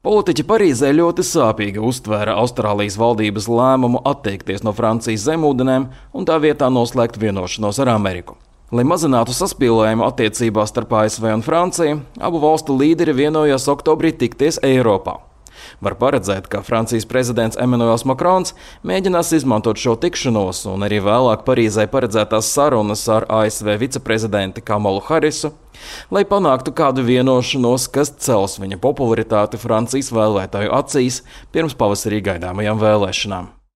Politiķi Parīzē ļoti sāpīgi uztvēra Austrālijas valdības lēmumu atteikties no Francijas zemūdenēm un tā vietā noslēgt vienošanos ar Ameriku. Lai mazinātu saspīlējumu attiecībās starp ASV un Franciju, abu valstu līderi vienojās oktobrī tikties Eiropā. Var paredzēt, ka Francijas prezidents Emmanuels Macrons mēģinās izmantot šo tikšanos un arī vēlāk Parīzē paredzētās sarunas ar ASV viceprezidenti Kamalu Harisu, lai panāktu kādu vienošanos, kas cels viņa popularitāti Francijas vēlētāju acīs pirms pavasarī gaidāmajām vēlēšanām.